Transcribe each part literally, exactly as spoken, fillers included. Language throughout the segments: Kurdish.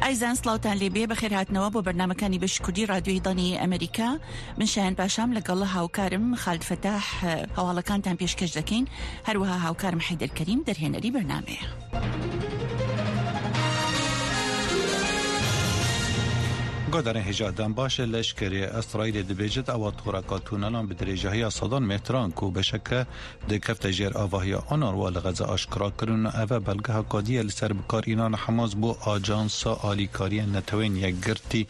ئەزیزان، سڵاوتان لێبێ، بەخێر هاتنەوە بۆ بەرنامەکانی بەشی کوردی رادیۆی دەنگی ئەمریکا. من شایان پاشام، لەگەڵ هاوکارم خالد فەتاح، هەواڵەکان تان پێشکەش دەکەین. هەروەها هاوکارم حەیدەر کەریم، دەرهێنەری بەرنامەیە. گۆدارن هێژا دەم باشە، لەشکرێ ئەسرائیلێ دەبێژێت ئەوە تۆڕەکە تونەلان بە درێژەیە سەدان مێتران کو بەشەکە دەکەفتە ژێر ئاڤاهیا ئۆنروا لە غەزە ئاشکرا کردن و ئەڤە بەلگە هاکادیە لەسەر بکارئینان حەماس بۆ ئاجانسا ئالیکاریە نەتەوەین یەکگرتی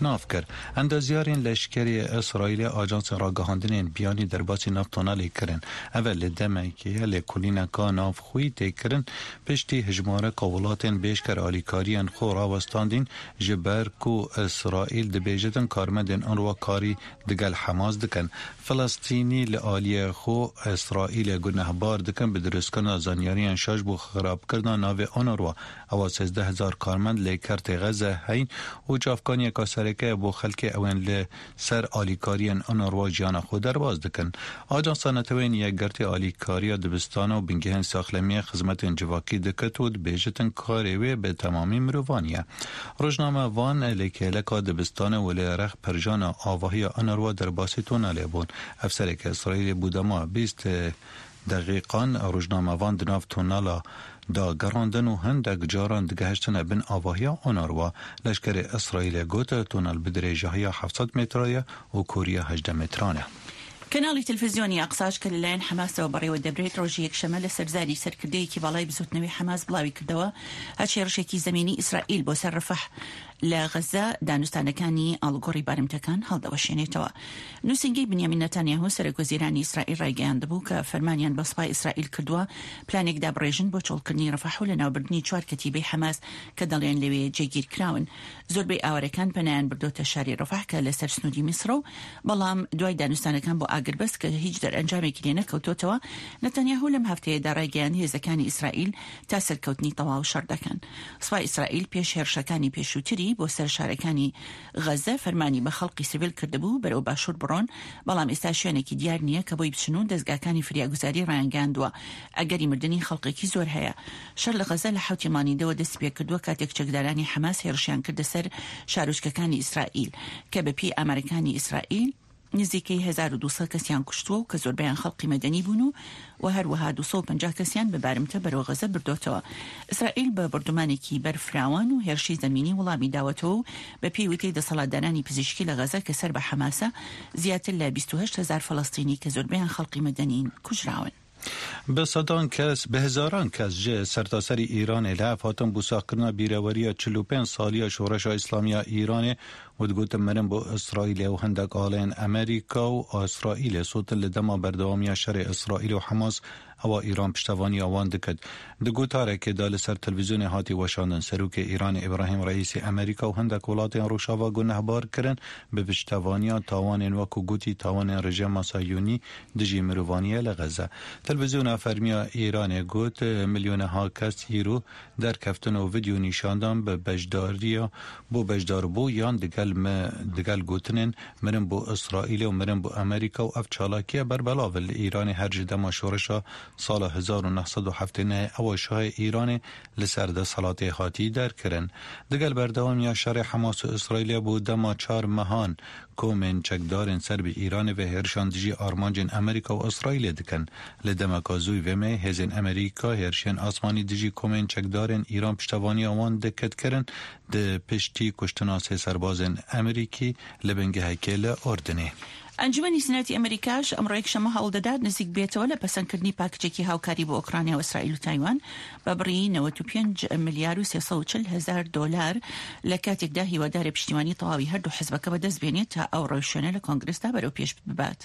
ناف کرد. ئەندازیارین لەشکری ئیسرائیل ئاجانسین ڕاگەهاندنێن بیانی دەرباسی ناف تۆنەلێ کردن. ئەڤە لە دەمێکی لێکولینەکە ناف خوی تێکردن پشتی هژمارە کاوڵاتێن بێشکەر ئالیکاریان خۆ ڕاوەستاندین، ji ber ku Îsraîl dibêjitin karmendên Unrwa karî digel Hamas dikin. Filistînî li aliyê xwe Îsraîlê gunehbar dikin bi dirustkirina zanyariyan şaş bo xirabkirina navê Unrwa. Ewa sêzdeh hezar karmend lê kertê Xeze heyn û çavkaniyeka sereke ye bo xelkê ewên li ser alîkariyên Unrwa jiyana xwe derbas dikin. Ajansa Netewên Yekgirtî alîkariya dibistana û bingehên saxlemiyê xizmetên civakî dikit û dibêjitin karê wê bi temamî mirovaniye. Rojnamevan li kêleka dibistane û li rex pirjana avahiya Unrwa derbasî tunelê bûn. Efserekî Îsraîlê bû dema bîst deqîqan rojnamevan di nav tunela de gerandin û hindek caran digehiştine bin avahiya Unrwa. Leşkerê Îsraîlê got, tunel bi dirêjahiya heft sed metre ye û kûriya hejdeh metran e. کەناڵی تەلەفیزیۆنی ئەقساش کە لەلایەن حەماسەوە بەڕێوە دەبرێت، ڕۆژی یەکشەممە لەسەر زاری سەرکردەیەکی باڵای بزوتنەوەی حەماس بڵاوی کردەوە، هەچ هێڕشێکی زەمینی ئیسرائیل بۆ سەر ڕەفەح لە غەزە دانوستانەکانی ئاڵگۆڕی بارمتەکان هەڵدەوەشێنێتەوە. نووسینگەی بنیامین نەتانیاهو سەرۆک وەزیرانی ئیسرائیل ڕایگەیاندبوو کە فەرمانیان بە سوپای ئیسرائیل کردووە پلانێک دابڕێژن بۆ چۆڵکردنی ڕەفەح و لەناوبردنی چوار کەتیبەی حەماس کە دەڵێن لەوێ جێگیر کراون. زۆربەی ئاوارەکان پەنایان بردۆتە شاری ڕەفەح کە لەسەر سنووری میسرە و بەڵام دوای دانوستانەکان بۆ ئاگربەست کە هیچ دەرئەنجامێکی لێ نەکەوتۆتەوە، نەتانیاهو لەم هەفتەیەدا ڕایگەیاند هێزەکانی ئیسرائیل تا سەرکەوتنی تەواو شەڕ دەکەن. سوپای ئیسرائیل پێش هێرشەکانی پێشووتری بۆ سەر شارەکانی غەزە فەرمانی بە خەڵقی سیڤیل کردبوو بەرەو باشوور بڕۆن، بەڵام ئێستا شوێنێکی دیار نییە کە بۆی بچن و دەستگاکانی فریاگوزاری ڕایانگەیاندووە ئەگەری مردنی خەڵقێکی زۆر هەیە. شەر لە غەزە لە حەوتی مانگی دەوە دەستی پێ کردووە، کاتێک چەکدارانی حەماس هێرشیان کردە سەر شارۆچکەکانی ئیسرائیل کە بە پێی ئامارەکانی ئیسرائیل نزیکەی هەزار و دوو سەد کەسیان کوشتووە و کە زۆربەیان خەڵقی مەدەنی بوون و، و هەروەها دوو سەد و پەنجا کەسیان بە بارمتە بەرەو غەزە بردۆتەوە. ئیسرائیل بە بردومانێکی بەرفراوان و هێرشی زەمینی وڵامی داوەتەوە و بە پێی وتەی دەسەڵاتدارانی پزیشکی لە غەزە کە سەر بە حەماسە، زیاتر لە بیست و هەشت هەزار فەلەستینی کە زۆربەیان خەڵقی مەدەنین کوژراون. Bi sedan kes, bi hezaran kes ji sertaserî Îranê li hev hatin bo saxkirina bîreweriya çil û pênc saliya Şoreşa Îslamiya Îranê û digotin mirin bo Îsraîlê û hindek alên Amerîka û Îsraîlê sotin li dema berdewamiya şerê Îsraîl û Hamas ewa Îran piştevaniya wan dikit. Di gotarekê de li ser televîzyonê hatî weşandin, Serokê Îranê Îbrahîm Reîsî Amerîka û hindek welatên Rojava gunehbar kirin bi piştevaniya tawanên wekû gotî tawanên rejîma Sahiyonî dijî mirovaniyê li Xeze. Televîzyona fermiya Îranê got, milyoneha kes îro derkeftin û vîdeo nîşandan bi beşdariya bo beşdarbûyan digel me, digel gotinên mirin bo Îsraîlê û mirin bo Amerîka û ev çalakiye berbelav e. Li Îranê her ji dema şoreşa sala hezar û neh sed û heftê nehê ewa şahê Îranê li ser desthilatê hatî derkirin. Digel berdewamiya şerê Hamas û Îsraîlê bo dema çar mehan, Komên çekdarên ser bi Îranê ve hêrişan dijî armancên Amerîka û Îsraîlê dikin. Li demeka zû vê mehê hêzên Amerîka hêrişên asmanî dijî komên çekdarên Îran piştevaniya wan dikit kirin, di piştî kuştina sê serbazên Amerîkî li bingehekê li Urdinê. ئەنجومەنی سیناتی ئەمریکاش ئەمڕۆ یەکشەممە هەوڵ دەدات نزیک بێتەوە لە پەسەندکردنی پاکجێکی هاوکاری بۆ ئۆکرانیا و ئیسرائیل و تایوان بە بڕی نەوەد و پێنج ملیار و سێ سەد و چل هەزار دۆلار، لە کاتێکدا هیوادارە پشتیوانی تەواوی هەردوو حزبەکە بەدەست بێنێت تا ئەو ڕێوشوێنە لە کۆنگرسدا بەرەو پێش ببات.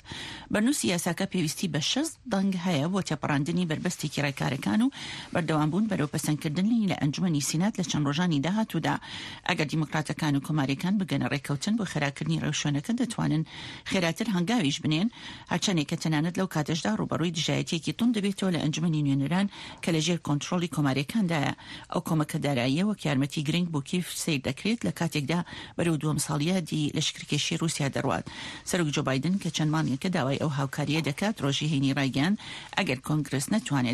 بەرنووسی یاساکە پێویستی بە شەست دەنگ هەیە بۆ تێپەڕاندنی بەربەستێکی ڕێکارەکان و بەردەوامبوون بەرەو پەسەندکردنی لە ئەنجومەنی سینات لە چەند ڕۆژانی داهاتوودا. ئەگەر دیموکراتەکان و کۆماریەکان بگەنە ڕێککەوتن بۆ خێراکردنی ڕێوشوێنەکە، دەتوانن خێراتر هەنگاویش بنێن، هەرچەندێک کە تەنانەت لەو کاتەشدا ڕوبەڕووی دژایەتیەکی توند دەبێتەوە لە ئەنجومەنی نوێنەران کە لە ژێر کۆنترۆڵی کۆماریەکاندایە. ئەو کۆمەکە داراییە وەک یارمەتی گرنگ بۆ کیف سیر دەکرێت لە کاتێکدا بەرەو دووەم ساڵیادی لە شکرکێشی رووسیا دەڕوات. سەرۆک جۆ بایدن کە چەند مانگێکە داوای ئەو هاوکاریە دەکات، ڕۆژی هەینی ڕایگەیاند ئەگەر کۆنگرس نەتوانێت